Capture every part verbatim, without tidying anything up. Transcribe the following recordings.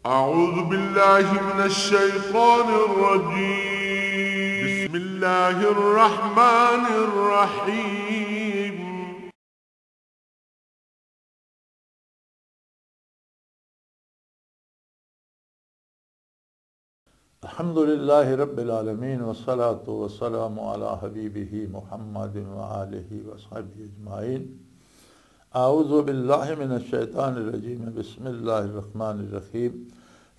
أعوذ بالله من الشيطان الرجيم. بسم الله الرحمن الرحيم. الحمد لله رب العالمين، والصلاة والسلام على حبيبه محمد وآله وصحبه أجمعين. أعوذ بالله من الشيطان الرجيم. بسم الله الرحمن الرحيم.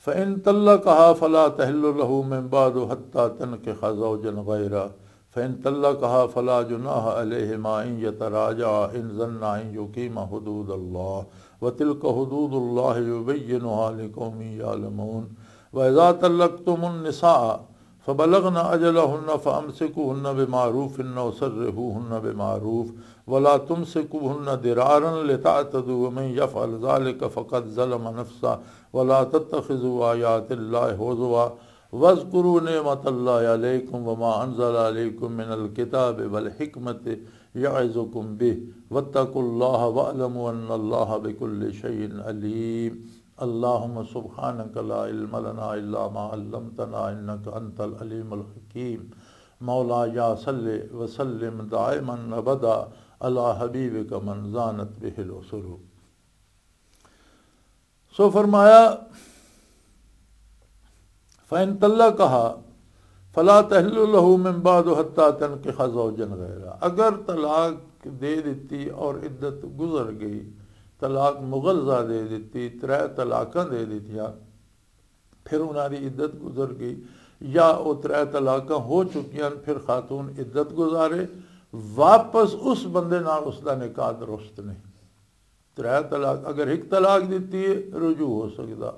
فإن طلقها فلا تحل له من بعد حتى تنكح زوجا غيره. فإن طلقها فلا جناح عليهما أن يتراجعا إن ظنا أن يقيما حدود الله. وتلك حدود الله يبينها لقوم يعلمون. وإذا طلقتم النساء فبلغن أجلهن فأمسكوهن بمعروف أو سرحوهن بمعروف ولا تمسكوهن ضرارا لتعتدوا ومن يفعل ذلك فقد ظلم نفسه ولا تتخذوا آيات الله هزوا واذكروا نعمة الله عليكم وما أنزل عليكم من الكتاب والحكمة يعظكم به واتقوا الله واعلموا أن الله بكل شيء عليم. اللهم سبحانك لا علم لنا إلا ما علمتنا إنك أنت العليم الحكيم. مولاي صل وسلم دائما أبدا على حبيبك من زانت به الأسر. سو فرمایا، فَإِن طَلَّقَهَا فَلَا تَحِلُّ لَهُ مِن بَعْدُ حَتَّىٰ تَنكِحَ زَوْجًا غَيْرَهُ۔ اگر طلاق دے دیتی اور عدت گزر گئی، طلاق مغلظہ دے دیتی، ترے طلاقاں دے دیتیاں، پھر انہاں دی عدت گزر گئی، یا او ترے طلاقاں ہو چکیاں، پھر خاتون عدت گزارے، واپس اس بندے نال اس دا نکاح درست نہیں۔ ترے طلاق، اگر ایک طلاق دتی ہے، رجوع ہو سکدا۔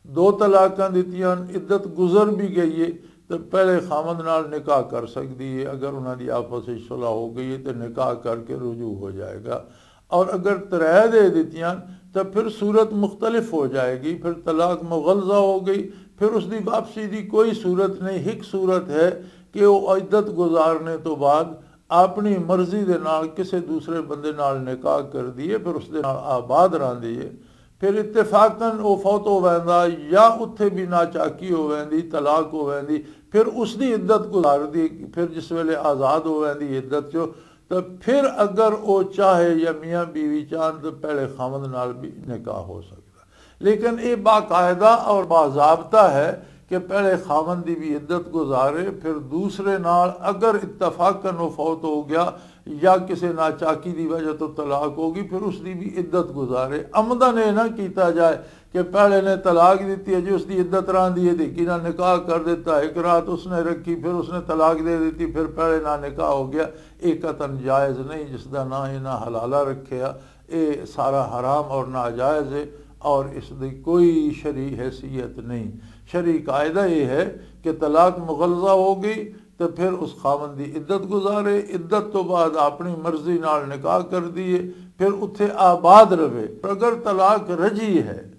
دو طلاقاں دتیاں، عدت گزر بھی گئی ہے، تے پہلے خاوند نال نکاح کر سکدی ہے۔ اگر انہاں دی آپس وچ صلح ہو گئی ہے، تے نکاح کر کے رجوع ہو جائے گا۔ اور اگر ترے دے دتیاں، تے پھر صورت مختلف ہو جائے گی، پھر طلاق مغلظہ ہو گئی، پھر اس دی واپسی دی کوئی صورت نہیں۔ ایک صورت ہے کہ وہ عدت گزارنے تو بعد اپنی مرضی دے نال کسے دوسرے بندے نال نکاح کر دیے، پھر اس دے نال آباد رہندی ہے۔ پھر اتفاقاً وہ فوت ہو ویندا، یا اتھے بھی ناچاکی ہو ویندی، طلاق ہو ویندی، پھر اس دی عدت گزار دی، پھر جس ویلے آزاد ہو ویندی عدت چو، تو پھر اگر وہ چاہے یا میاں بیوی چاہن تو پہلے خاوند نال بھی نکاح ہو سکدا۔ لیکن یہ باقاعدہ اور باضابطہ ہے کہ پہلے خاوند دی بھی عدت گزارے، پھر دوسرے نال اگر اتفاقاً وہ فوت ہو گیا یا کسی ناچاکی دی وجہ تو طلاق ہو گئی، پھر اس دی بھی عدت گزارے۔ عمداً یہ نہ کیتا جائے کہ پہلے نے طلاق دیتی ہے جی، اس دی عدت راندی ہے، دیکھی نہ نکاح کر دیتا، ایک رات اس نے رکھی، پھر اس نے طلاق دے دیتی، پھر پہلے نہ نکاح ہو گیا۔ یہ قطعاً جائز نہیں، جس دا نہ انہاں حلالہ رکھیا، یہ سارا حرام اور ناجائز ہے، اور اس دی کوئی شرعی حیثیت نہیں۔ شرعی قاعدہ یہ ہے کہ طلاق مغلظہ ہو گئی تو پھر اس خاوند دی عدت گزارے، عدت تو بعد اپنی مرضی نال نکاح کر دیے، پھر اتھے آباد رہے۔ اگر طلاق رجی ہے،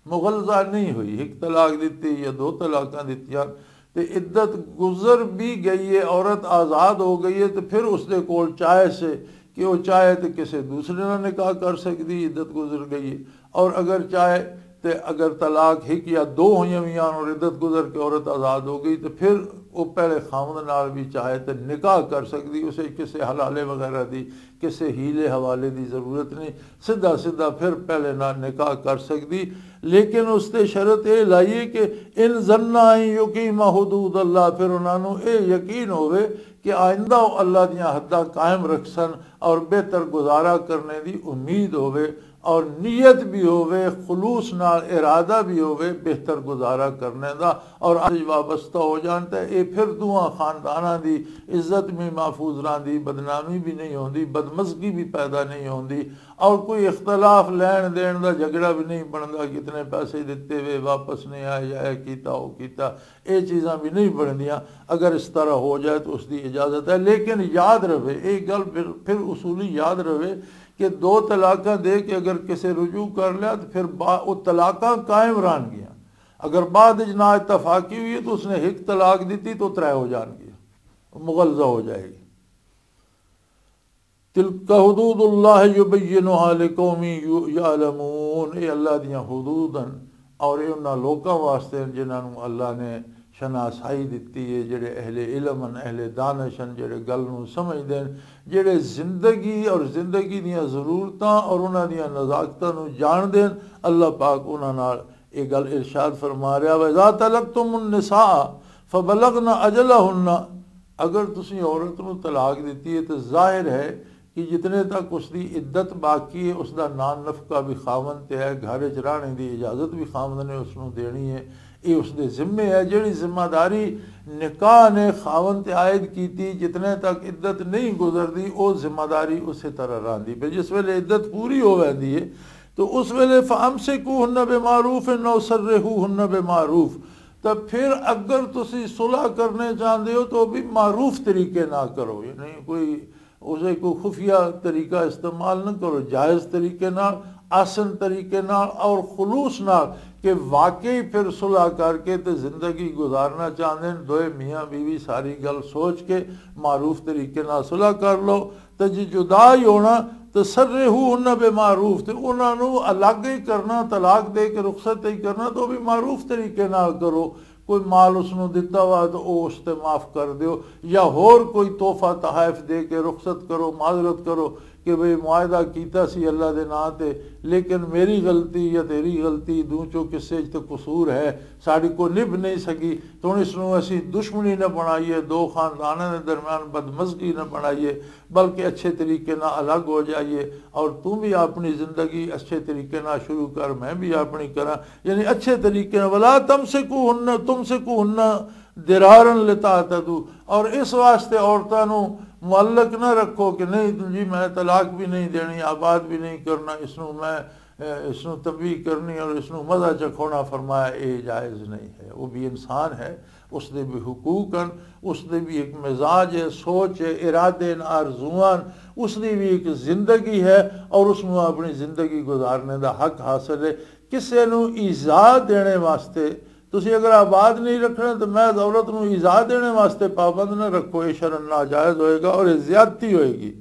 مغلظہ نہیں ہوئی، ایک طلاق دتی یا دو طلاقاں دتیاں، تے عدت گزر بھی گئی ہے، عورت آزاد ہو گئی ہے، تے پھر اس دے کول چاہے سے کہ وہ چاہے تے کسے دوسرے نال نکاح کر سکدی، عدت گزر گئی ہے۔ اور اگر چاہے تے اگر طلاق ایک یا دو ہوئیاں ہوئیاں اور عدت گزر کے عورت آزاد ہو گئی، تے پھر وہ پہلے خاوند نال بھی چاہے تے نکاح کر سکدی، اسے کسے حلالے وغیرہ دی، کسے ہیلے حوالے دی ضرورت نہیں، سدھا سدھا پھر پہلے نال نکاح کر سکدی۔ لیکن اس تے شرط یہ لائیے کہ ان ظنا ان یقیما حدود اللہ، پھر انہاں نوں یہ یقین ہوئے کہ آئندہ وہ اللہ دیاں حداں قائم رکھسن اور بہتر گزارا کرنے دی امید ہوئے، اور نیت بھی ہوئے، خلوص نال ارادہ بھی ہوئے بہتر گزارا کرنے دا، اور اج وابستہ ہو جان تے اے پھر دوواں خانداناں دی عزت بھی محفوظ رہندی، بدنامی بھی نہیں ہوندی، بدمزگی بھی پیدا نہیں ہوندی، اور کوئی اختلاف لین دین دا جھگڑا بھی نہیں بندا، کتنے پیسے دتے وے واپس نہیں آئے، یا اے کیتا، او کیتا، اے چیزاں بھی نہیں بندیاں۔ اگر اس طرح ہو جائے تو اس دی اجازت ہے، لیکن یاد رہے، اے گل پھر، پھر اصولی یاد رہے کہ دو طلاقاں دے کے اگر کسے رجوع کر لیا تو پھر با-، وہ طلاقاں قائم رہن گیاں۔ اگر بعد وچ نا اتفاقی ہوئی ہے تو اس نے ایک طلاق دیتی تو ترے ہو جان گیا، مغلظہ ہو جائے گی۔ تلک حدود اللہ یبینها لقوم یعلمون، اے اللہ دیاں حدود ہیں، اور یہ انہاں لوکاں واسطے ہیں جنہاں نوں اللہ نے شناسائی دتی ہے، جڑے اہل علم ہیں، اہل دانش ہیں، جڑے گل نوں سمجھدے ہیں، جڑے زندگی اور زندگی دیاں ضرورتاں اور انہاں دیاں نزاکتاں نوں جاندے ہیں۔ اللہ پاک انہاں نال یہ گل ارشاد فرما رہا، وَإِذَا طَلَّقْتُمُ النِّسَاءَ فَبَلَغْنَ أَجَلَهُنَّ، اگر تسی عورت نوں طلاق دتی ہے تو ظاہر ہے کہ جتنے تک اس دی عدت باقی ہے، اس دا نان نفقہ بھی خاوند تے ہے، گھر وچ رہنے دی اجازت بھی خاوند نے اس نوں دینی ہے۔ یہ اس دے ذمے ہے۔ جڑی ذمہ داری نکاح نے خاوند تے عائد کیتی، جتنے تک عدت نہیں گزردی، او ذمہ داری اسی طرح رہندی پئی۔ جس ویلے عدت پوری ہو ویندی ہے، تو اس ویلے فَأَمْسِكُوهُنَّ بِمَعْرُوفٍ أَوْ سَرِّحُوهُنَّ بِمَعْرُوفٍ۔ تو پھر اگر تسی صلح کرنے چاہندے ہو تو بھی معروف طریقے نہ کرو، یعنی کوئی اسے کوئی خفیہ طریقہ استعمال نہ کرو، جائز طریقے نال، احسن طریقے نال اور خلوص نال، کہ واقعی پھر صلح کر کے تے زندگی گزارنا چاہندے ہیں دوئے میاں بیوی، ساری گل سوچ کے معروف طریقے نال صلح کر لو۔ تے جی جدا ہی ہونا، تے سرحوہن بمعروف، تے انہاں نوں الگ ہی کرنا، طلاق دے کے رخصت ہی کرنا، تو بھی معروف طریقے نال کرو۔ کوئی مال اس نوں دتا وا تو او اس تے معاف کر دیو، یا ہور کوئی تحفہ تحائف دے کے رخصت کرو، معذرت کرو کہ بھئی معاہدہ کیتا سی اللہ دے ناں تے، لیکن میری غلطی یا تیری غلطی، دوں چوں کسے اچ تے قصور ہے، ساڈی کو نبھ نہیں سکی، تو ہن اس نوں اسی دشمنی نہ بنائیے، دو خانداناں دے درمیان بدمزگی نہ بنائیے، بلکہ اچھے طریقے نال الگ ہو جائیے، اور تم بھی اپنی زندگی اچھے طریقے نال شروع کر، میں بھی اپنی کراں، یعنی اچھے طریقے نال۔ ولا تمسکوہن، تمسکوہن درارا لتعتدوا، اور اس واسطے عورتاں نوں معلق نہ رکھو کہ نہیں جی میں طلاق بھی نہیں دینی، آباد بھی نہیں کرنا، اس نوں میں، اے، اس نوں تنبیہ کرنی اور اس نوں مزہ چکھونا۔ فرمایا یہ جائز نہیں ہے۔ وہ بھی انسان ہے، اس دے بھی حقوق ہیں، اس دے بھی ایک مزاج ہے، سوچ ہے، ارادے ہیں، آرزواں ہیں، اس دی بھی ایک زندگی ہے اور اس نوں اپنی زندگی گزارنے دا حق حاصل ہے۔ کسے نوں ایذا دینے واسطے، تسی اگر آباد نہیں رکھنا تو محض عورت نوں ایذا دینے واسطے پابند نہ رکھو، یہ شرعاً ناجائز ہوئے گا اور یہ زیادتی ہوئے گی۔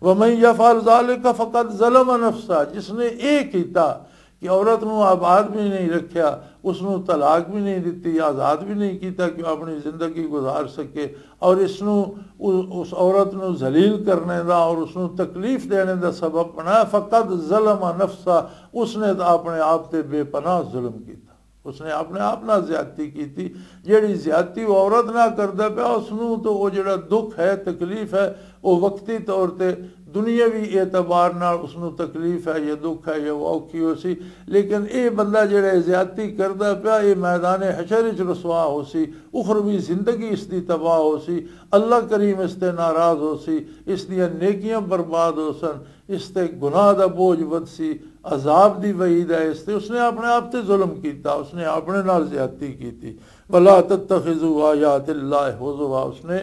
ومن یفعل ذلک فقد ظلم نفسہ، جس نے یہ کیتا کہ عورت نوں آباد بھی نہیں رکھیا، اس نوں طلاق بھی نہیں دتی، آزاد بھی نہیں کیتا کہ وہ اپنی زندگی گزار سکے، اور اس نوں، اس عورت نوں ذلیل کرنے دا اور اس نوں تکلیف دینے دا سبب بنایا، فقد ظلم نفسہ، اس نے تو اپنے آپ تے بے پناہ ظلم کیتا، اس نے اپنے آپ نال زیادتی کیتی۔ جیڑی زیادتی وہ عورت نال کردا پیا، اس نوں تو وہ جیڑا دکھ ہے، تکلیف ہے، وہ وقتی طور تے دنیاوی اعتبار نال اس نوں تکلیف ہے یا دکھ ہے یا وہ اوکھی ہو سی، لیکن اے بندہ جیڑا زیادتی کردا پیا، اے میدان حشر وچ رسوا ہو سی، اخروی زندگی اس دی تباہ ہو سی، اللہ کریم اس تے ناراض ہو سی، اس دیاں نیکیاں برباد ہو سن، اس تے گناہ دا بوجھ ود سی، عذاب دی وعید ہے اس تے۔ اس نے اپنے آپ تے ظلم کیتا، اس نے اپنے نال زیادتی کیتی۔ ولا تتخذوا آیات اللہ ہزوا، اس نے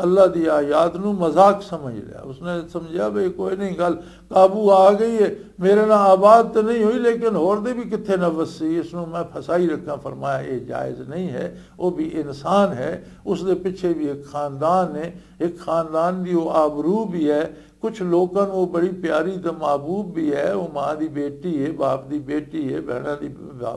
اللہ دی آیات نو مذاق سمجھ لیا۔ اس نے سمجھا بھی کوئی نہیں، گل قابو آ گئی ہے، میرے نال آباد تو نہیں ہوئی لیکن ہور دے بھی کتھے نہ وسی، اس نو میں پھسائی رکھاں۔ فرمایا یہ جائز نہیں ہے، وہ بھی انسان ہے، اس دے پیچھے بھی ایک خاندان ہے، ایک خاندان دی وہ آبرو بھی ہے۔ کچھ لوکاں نوں وہ بڑی پیاری تے محبوب بھی ہے، وہ ماں دی بیٹی ہے، باپ دی بیٹی ہے، بہناں دی،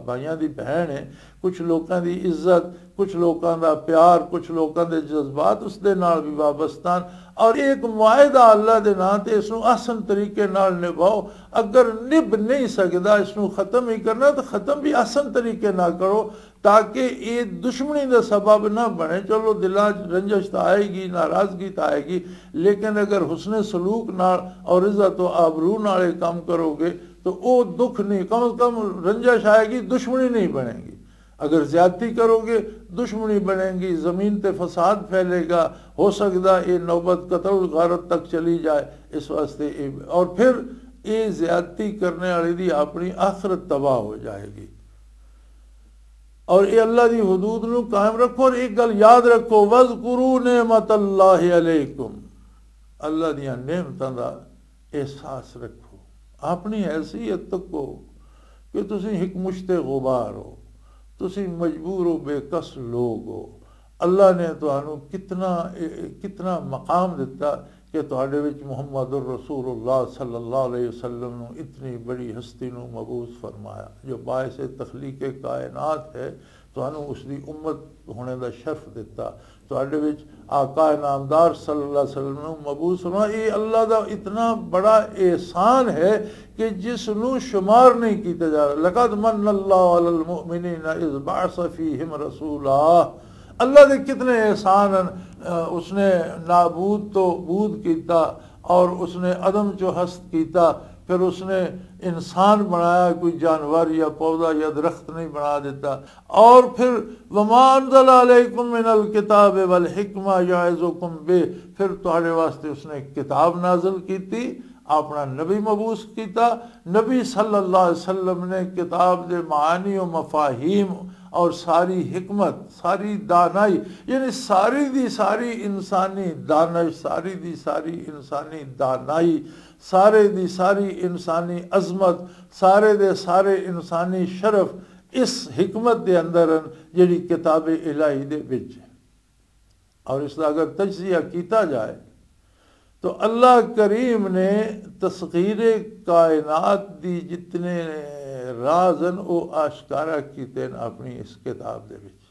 بھائیاں دی بہن ہے۔ کچھ لوکاں دی عزت، کچھ لوکاں دا پیار، کچھ لوکاں دے جذبات اس دے نال بھی وابستہ ہن۔ اور ایک معاہدہ اللہ دے ناں تے، اس نوں احسن طریقے نال نبھاؤ۔ اگر نبھ نہیں سکدا، اس نوں ختم ہی کرنا، تو ختم بھی احسن طریقے نال کرو، تاکہ یہ دشمنی دا سبب نہ بنے۔ چلو، دلاں 'چ رنجش تاں آئے گی، ناراضگی تاں آئے گی، لیکن اگر حسن سلوک نال اور عزت و آبرو نال یہ کام کرو گے، تو وہ دکھ نہیں، کم از کم رنجش آئے گی، دشمنی نہیں بنے گی۔ اگر زیادتی کرو گے، دشمنی بنے گی، زمین تے فساد پھیلے گا، ہو سکدا یہ نوبت قتل و غارت تک چلی جائے۔ اس واسطے یہ، اور پھر یہ زیادتی کرنے والے دی اپنی آخرت تباہ ہو جائے گی۔ اور یہ اللہ دی حدود نو قائم رکھو۔ اور ایک گل یاد رکھو، وَاذْكُرُوا نِعْمَتَ اللَّهِ عَلَيْكُمْ، اللہ دیاں نعمتاں دا احساس رکھو، اپنی حیثیت تکو کہ تسی ایک مشت غبار ہو، تسی مجبور و بے کس لوگ ہو۔ اللہ نے تانوں کتنا، کتنا مقام دتا، کہ تہاڈے وچ محمد الرسول اللہ صلی اللہ علیہ وسلم نو اتنی بڑی ہستی نو مبعوث فرمایا، جو باعث تخلیق کائنات ہے، تانوں اس دی امت ہونے دا شرف دتا، تہاڈے وچ آقا نامدار صلی اللہ علیہ وسلم نو مبعوث فرمایا۔ یہ اللہ دا اتنا بڑا احسان ہے کہ جس نو شمار نہیں کیتا جا رہا۔ لقد من اللہ علی المؤمنین اذ بعث فیہم رسولا۔ اللہ دے کتنے احسان ہیں۔ اس نے نابود تو بود کیتا، اور اس نے عدم چو ہست کیتا، پھر اس نے انسان بنایا، کوئی جانور یا پودا یا درخت نہیں بنا دیتا۔ اور پھر وما انزل علیکم من الکتاب والحکمہ یعظکم بہ، پھر تہاڈے واسطے اس نے کتاب نازل کیتی، اپنا نبی مبعوث کیتا۔ نبی صلی اللہ علیہ وسلم نے کتاب دے معانی و مفاہیم اور ساری حکمت، ساری دانائی، یعنی ساری دی ساری انسانی دانش، ساری دی ساری انسانی دانائی، سارے دی ساری انسانی عظمت، سارے دے سارے انسانی شرف اس حکمت دے اندر ہیں، جڑی کتاب الہی دے وچ ہے۔ اور اس دا اگر تجزیہ کیتا جائے تو اللہ کریم نے تسخیر کائنات دی جتنے راز ہیں، وہ آشکارا کیتے ہیں اپنی اس کتاب دے وچ۔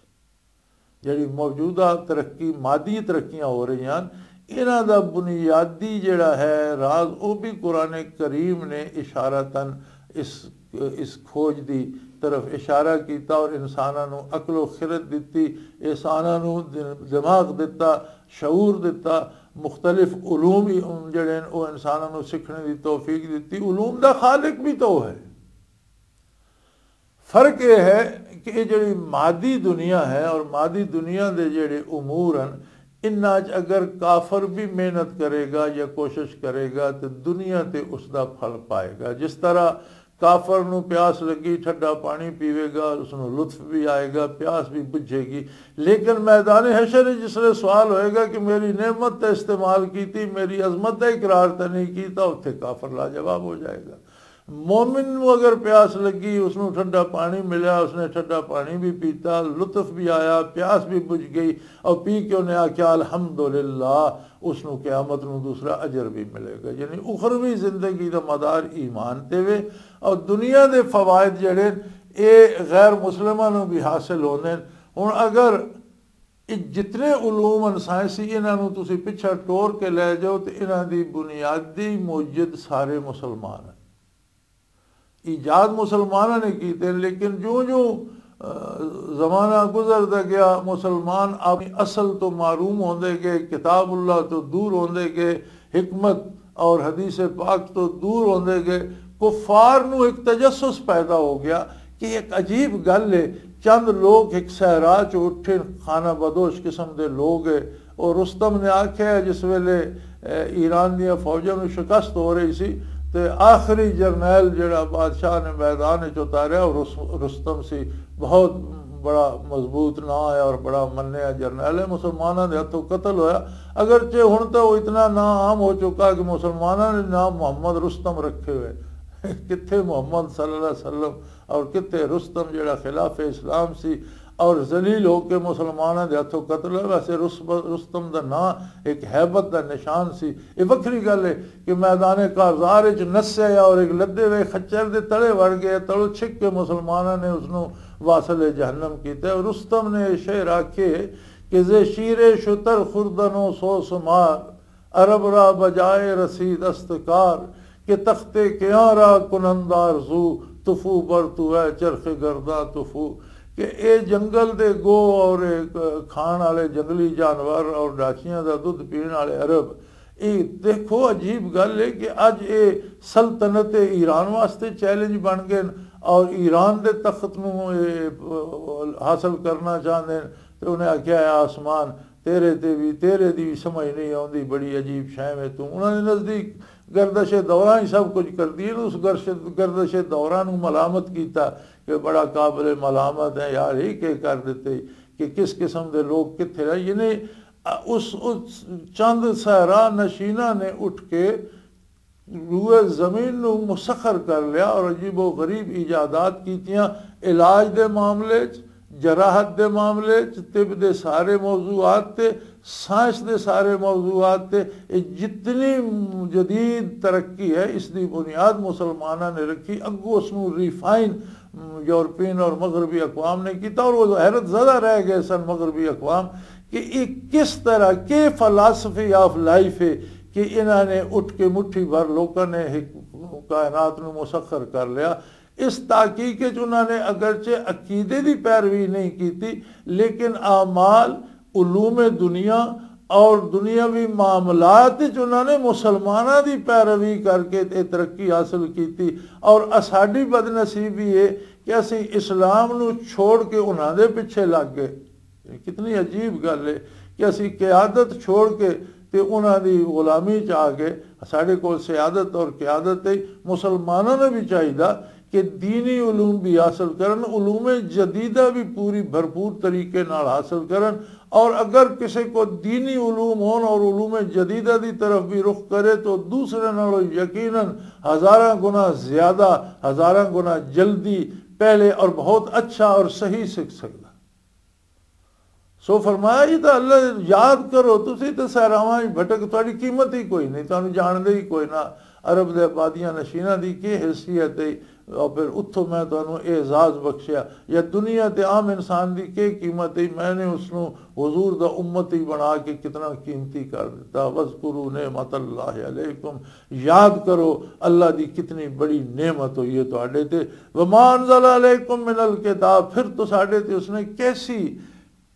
جڑی موجودہ ترقی، مادی ترقیاں ہو رہی ہیں، انہاں دا بنیادی جڑا ہے راز، وہ بھی قرآن کریم نے اشارتاً اس اس کھوج دی طرف اشارہ کیتا اور انساناں نوں عقل و خرد دتی، انساناں نوں دماغ دتا، شعور دتا، مختلف علوم ہی ان جڑے ہیں، او انساناں نوں سکھنے دی توفیق دتی۔ علوم دا خالق بھی تو ہے۔ فرق یہ ہے کہ یہ جڑی مادی دنیا ہے اور مادی دنیا دے جڑے امور ہیں، انہاں چ اگر کافر بھی محنت کرے گا یا کوشش کرے گا تو دنیا تے اس دا پھل پائے گا۔ جس طرح کافر نو پیاس لگی، ٹھڈا پانی پیوے گا، اس نو لطف بھی آئے گا، پیاس بھی بجھے گی۔ لیکن میدان حشر وچ جس لے سوال ہوئے گا کہ میری نعمت تے استعمال کیتی، میری عظمت تے اقرار تے نہیں کیتا، اتھے کافر لاجواب ہو جائے گا۔ مومن نو اگر پیاس لگی، اس نو ٹھنڈا پانی ملیا، اس نے ٹھنڈا پانی بھی پیتا، لطف بھی آیا، پیاس بھی بجھ گئی، اور پی کے انہیں آکھیا، "الحمدللہ"، اس نو قیامت نو دوسرا اجر بھی ملے گا۔ یعنی اخروی زندگی دا مدار ایمان تے وے، اور دنیا دے فوائد جڑے اے غیر مسلماں نو بھی حاصل ہوندے۔ ہن اگر اے جتنے علوم ان سائنسی، انہاں نو تسی پچھا ٹور کے لے جاؤ تے انہاں دی بنیادی موجد سارے مسلمان ہیں۔ ایجاد مسلماناں نے کیتے، لیکن جوں جوں، آ، زمانہ گزردا گیا، مسلمان اپنی اصل تو محروم ہوندے گئے، کتاب اللہ تو دور ہوندے گئے، حکمت اور حدیث پاک تو دور ہوندے گئے۔ کفار نو ایک تجسس پیدا ہو گیا کہ ایک عجیب گل ہے، چند لوگ ایک صحرا چ اٹھے، خانہ بدوش قسم دے لوگ ہے، اور رستم نے آکھیا ہے، جس ویلے، اے، ایران دیاں فوجاں نوں شکست ہو رہی سی، تے آخری جرنیل جڑا بادشاہ نے میدان وچ اتاریا، او رس-، رستم سی، بہت بڑا مضبوط ناں ہے اور بڑا منیا جرنیل ہے، مسلماناں دے ہتھوں قتل ہویا۔ اگرچہ ہن تے او اتنا ناں عام ہو چکا کہ مسلماناں نے ناں محمد رستم رکھے ہوئے۔ کتھے محمد صلی اللہ علیہ وسلم اور کتے رستم جڑا خلاف اسلام سی اور ذلیل ہو کے مسلماناں دے ہتھوں قتل ہوئے۔ ویسے رس-، رستم دا ناں ایک ہیبت دا نشان سی۔ یہ وکھری گل ہے کہ میدان کارزار وچ نسے اور ایک لدے ہوئے خچر دے تلے وڑ گئے، تلو چھک کے مسلماناں نے اس نو واصل جہنم کیتا۔ اور رستم نے یہ شعر آکھے کہ "زے شیر شتر خوردن و سو سمار، عرب را بجائے رسید است کار، کہ تخت کیاں را کنند آرزو، تفو بر تو اے چرخ گرداں تفو"، کہ اے جنگل دے گو اور اے کھان والے جنگلی جانور اور ڈاچیاں دا دودھ پین والے عرب۔ اے دیکھو، عجیب گل ہے کہ اج اے سلطنت ایران واسطے چیلنج بن گئے اور ایران دے تخت نو اے حاصل کرنا چاہندے ہیں۔ تے انہیں آکھیا، "اے آسمان، تیرے تے بھی، تیرے دی بھی سمجھ نہیں آوندی، بڑی عجیب شے میں تو۔" انہاں دے نزدیک گردش دوران ہی سب کچھ کردی ہے۔ اس گردش، گردش دوران نو ملامت کیتا کہ بڑا قابل ملامت ہے یار، یہ کہ کر دیتے، کہ کس قسم دے لوگ کتھے رہے۔ یعنی اس، اس چند صحرا نشینہ نے اٹھ کے روئے زمین نو مسخر کر لیا اور عجیب و غریب ایجادات کیتیاں، علاج دے معاملے چ، جراحت دے معاملے چ، طب دے سارے موضوعات تے، سائنس دے سارے موضوعات تے، اے جتنی جدید ترقی ہے، اس دی بنیاد مسلماناں نے رکھی۔ اگوں اس نوں ریفائن یورپین اور مغربی اقوام نے کیتا، اور وہ حیرت زدہ رہ گئے سن مغربی اقوام کہ یہ کس طرح، کہ فلاسفی آف لائف ہے کہ انہاں نے اٹھ کے مٹھی بھر لوکاں نے ایک کائنات نوں مسخر کر لیا۔ اس تحقیق وچ انہاں نے اگرچہ عقیدے دی پیروی نہیں کیتی، لیکن اعمال، علوم دنیا اور دنیاوی معاملات وچ انہاں نے مسلماناں دی پیروی کر کے تے ترقی حاصل کیتی۔ اور اساڈی بدنصیبی ہے کہ اسی اسلام نو چھوڑ کے انہاں دے پیچھے لگ گئے۔ کتنی عجیب گل ہے کہ اسی قیادت چھوڑ کے تے انہاں دی غلامی چ آ گئے۔ ساڈے کول سیادت اور قیادت ہے، مسلماناں نے بھی چاہیدا کہ دینی علوم بھی حاصل کرن، علوم جدیدہ بھی پوری بھرپور طریقے نال حاصل کرن، اور اگر کسی کو دینی علوم ہون اور علوم جدیدہ دی طرف بھی رخ کرے تو دوسرے نالوں یقیناً ہزاراں گنا زیادہ، ہزاراں گنا جلدی، پہلے اور بہت اچھا اور صحیح سکھ سکدا۔ سو فرمایا، یہ تو اللہ یاد کرو، تسی تو سہراواں وچ بھٹک، تہاڈی قیمت ہی کوئی نہیں، تانوں جانتے ہی کوئی نہ۔ عرب دے آبادیاں نشیناں دی کی حیثیت ہے؟ اور پھر اتھوں میں تانوں اعزاز بخشیا۔ یا دنیا تے عام انسان دی کی قیمت ہے؟ میں نے اس نوں حضور دا امتی بنا کے کتنا قیمتی کر دیتا۔ وَاذْكُرُوا نِعْمَتَ اللَّهِ عَلَيْكُمْ، یاد کرو اللہ دی کتنی بڑی نعمت ہوئی ہے تہاڈے تے۔ وما انزل علیکم من الکتاب، پھر تو ساڈے تے اس نے کیسی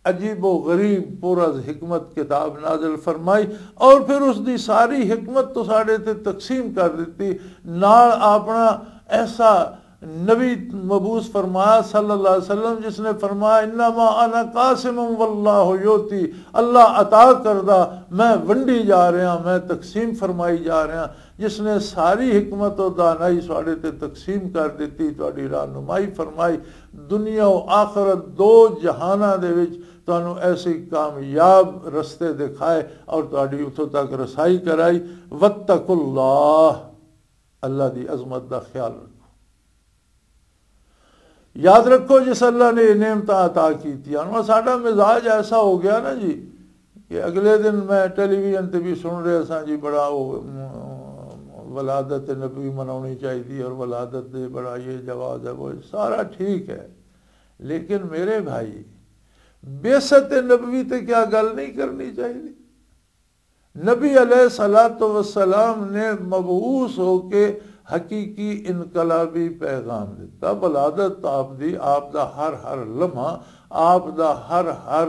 عجیب و غریب پر از حکمت کتاب نازل فرمائی، اور پھر اس دی ساری حکمت تو ساڈے تے تقسیم کر دیتی۔ نال اپنا ایسا نبی مبعوث فرمایا صلی اللہ علیہ وسلم، جس نے فرمایا، "انما انا قاسم واللہ یؤتی"، اللہ عطا کردہ، میں ونڈی جا رہا، میں تقسیم فرمائی جا رہا۔ جس نے ساری حکمت و دانائی ساڈے تے تقسیم کر دیتی، تہاڈی رہنمائی فرمائی، دنیا و آخرت دو جہاناں دے وچ تانوں ایسی کامیاب رستے دکھائے اور تہاڈی اتھوں تک رسائی کرائی۔ واتقوا اللہ، اللہ دی عظمت دا خیال رکھو۔ یاد رکھو، جس اللہ نے یہ نعمتاں عطا کیتیاں، اور ساڈا مزاج ایسا ہو گیا نا جی، کہ اگلے دن میں ٹیلی ویژن تے بھی سن رہا سا جی، بڑا وہ، م، ولادت نبوی مناونی چاہیے اور ولادت دے بڑا یہ جواز ہے، وہ سارا ٹھیک ہے، لیکن میرے بھائی، بعثت نبوی تے کیا گل نہیں کرنی چاہیے؟ نبی علیہ الصلوۃ والسلام نے مبعوث ہو کے حقیقی انقلابی پیغام دیتا۔ ولادت آپ دی، آپ دا ہر ہر لمحہ، آپ دا ہر ہر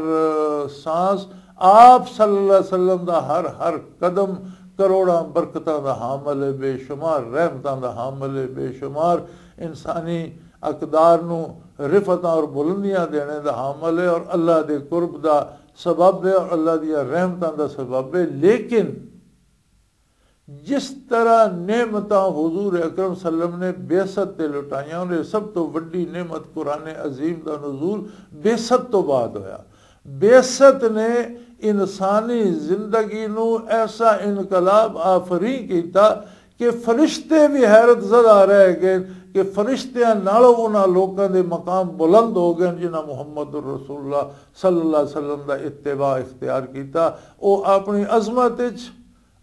سانس، آپ صلی اللہ علیہ وسلم دا ہر ہر قدم کروڑاں برکتاں دا حامل ہے، بے شمار رحمتاں دا حامل ہے، بے شمار انسانی اقدار نو رفتاں اور بلندیاں دینے دا حامل ہے اور اللہ دے قرب دا سبب ہے اور اللہ دیاں رحمتاں دا سبب ہے۔ لیکن جس طرح نعمتاں حضور اکرم صلی اللہ علیہ وسلم نے بعثت تے لٹائیاں، انہیں سب تو وڈی نعمت قرآن عظیم دا نزول بعثت تو بعد ہویا۔ بعثت نے انسانی زندگی نو ایسا انقلاب آفرین کیتا کہ فرشتے بھی حیرت زدہ رہ گئے کہ فرشتیاں نالوں انہاں لوکاں دے مقام بلند ہو گئے جنہاں محمد الرسول اللہ صلی اللہ علیہ وسلم دا اتباع اختیار کیتا۔ او اپنی عظمت وچ،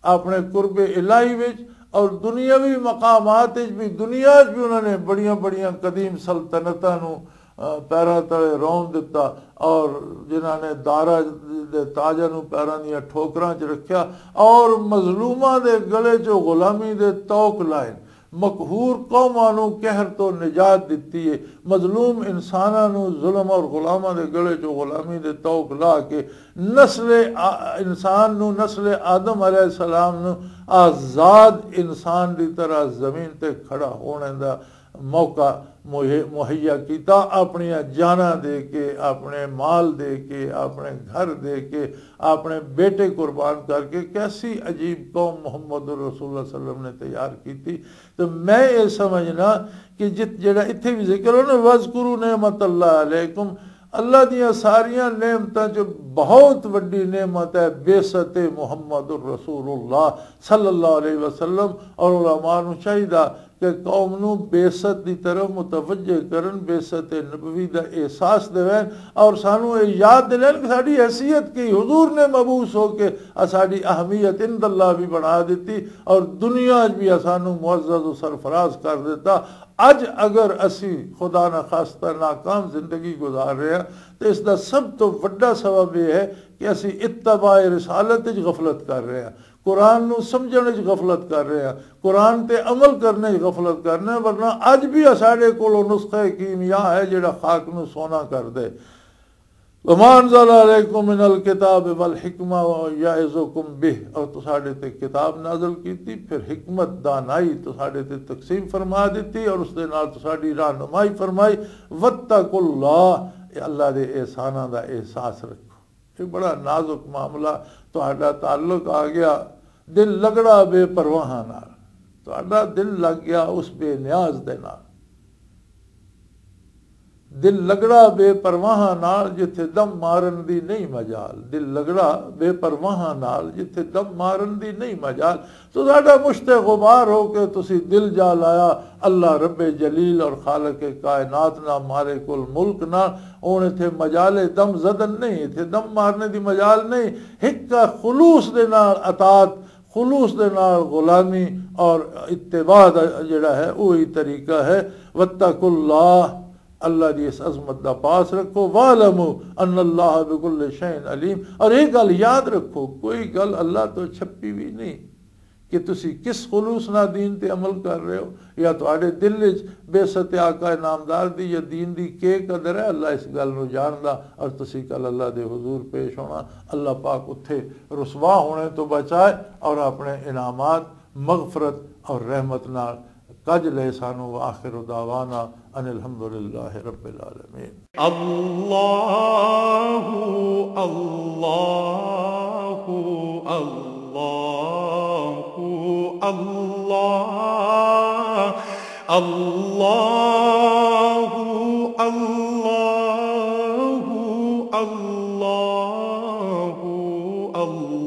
اپنے قرب الہی وچ اور دنیاوی مقامات وچ بھی، دنیا وچ بھی انہاں نے بڑیاں بڑیاں قدیم سلطنتاں نو، آ، پیراں تلے رون دتا اور جنہاں نے دارا دے تاجاں نو پیراں دیاں ٹھوکراں چ رکھیا اور مظلوماں دے گلے چوں غلامی دے طوق لائے۔ مقہور قوماں نوں قہر تو نجات دتی ہے، مظلوم انساناں نوں ظلم اور غلاماں دے گلے چوں غلامی دے طوق لا کے نسل آ-، انسان نوں، نسل آدم علیہ السلام نوں آزاد انسان دی طرح زمین تے کھڑا ہونے دا موقع مہی-، مہیا کیتا، اپنی جاناں دے کے، اپنے مال دے کے، اپنے گھر دے کے، اپنے بیٹے قربان کر کے۔ کیسی عجیب قوم محمد الرسول اللہ صلی اللہ علیہ وسلم نے تیار کیتی۔ تو میں یہ سمجھنا کہ جت-، جڑا اتھے بھی ذکر ہو نا، "وَاذْكُرُوا نِعْمَتَ اللَّهِ عَلَيْكُمْ"، اللہ دیاں ساریاں نعمتاں چ بہت وڈی نعمت ہے بعثت محمد الرسول اللہ صلی اللہ علیہ وسلم، اور علماء نوں چاہیدا کہ قوم نو بعثت دی طرف متوجہ کرن، بعثت نبوی دا احساس دیوین، اور سانو یہ یاد دلین کہ ساڈی حیثیت کی، حضور نے مبعوث ہو کے ساڈی اہمیت عند اللہ بھی بنا دیتی اور دنیا وچ بھی سانو معزز و سرفراز کر دیتا۔ اج اگر اسی خدا نہ خواستہ ناکام زندگی گزار رہے ہیں، تو اس دا سب تو وڈا سبب یہ ہے کہ اسی اتباع رسالت وچ غفلت کر رہے ہیں، قرآن نو سمجھنے وچ غفلت کر رہے ہیں، قرآن تے عمل کرنے وچ غفلت کرنے، ورنہ اج بھی ساڈے کولوں نسخہ کیمیا ہے جڑا خاک نو سونا کر دے۔ وما انزل علیکم من الکتاب والحکمہ ویعظکم بہ، اور تساڈے تے کتاب نازل کیتی، پھر حکمت، دانائی تساڈے تے تقسیم فرما دیتی اور اس دے نال تساڈی رہنمائی فرمائی۔ واتقوا اللہ، اے اللہ دے احساناں دا احساس رکھو۔ یہ بڑا نازک معاملہ۔ تہاڈا تعلق آ گیا دل لگڑا بے پرواہاں نال، تہاڈا دل لگ گیا اس بے نیاز دے نال۔ دل لگڑا بے پرواہاں نال جتھے دم مارن دی نہیں مجال، دل لگڑا بے پرواہاں نال جتھے دم مارن دی نہیں مجال۔ تو ساڈا مشت غبار ہو کے تسی دل جا لایا اللہ رب جلیل اور خالق کائنات نہ، مالک الملک نہ۔ ہن اتھے مجال دم زدن نہیں، اتھے دم مارنے دی مجال نہیں۔ ہک خلوص دے نال اطاعت، خلوص دے نال غلامی اور اتباع دا جڑا ہے، وہی طریقہ ہے۔ واتقوا اللہ، اللہ دی اس عظمت دا پاس رکھو۔ واعلموا ان اللہ بكل شيء عليم، اور یہ گل یاد رکھو، کوئی گل اللہ تو چھپی بھی نہیں کہ تسی کس خلوص نال دین تے عمل کر رہے ہو، یا تہاڈے دل وچ بعثت آقا نامدار دی یا دین دی کے قدر ہے، اللہ اس گل نو جاندا۔ اور تسی کل اللہ دے حضور پیش ہونا، اللہ پاک اتھے رسوا ہونے تو بچائے اور اپنے انعامات، مغفرت اور رحمت نال کج لے سانو۔ وآخر دعوانا ان الحمدللہ رب العالمین۔ اللہ، اللہ، اللہ، اللہ، اللہ، اللہ، اللہ۔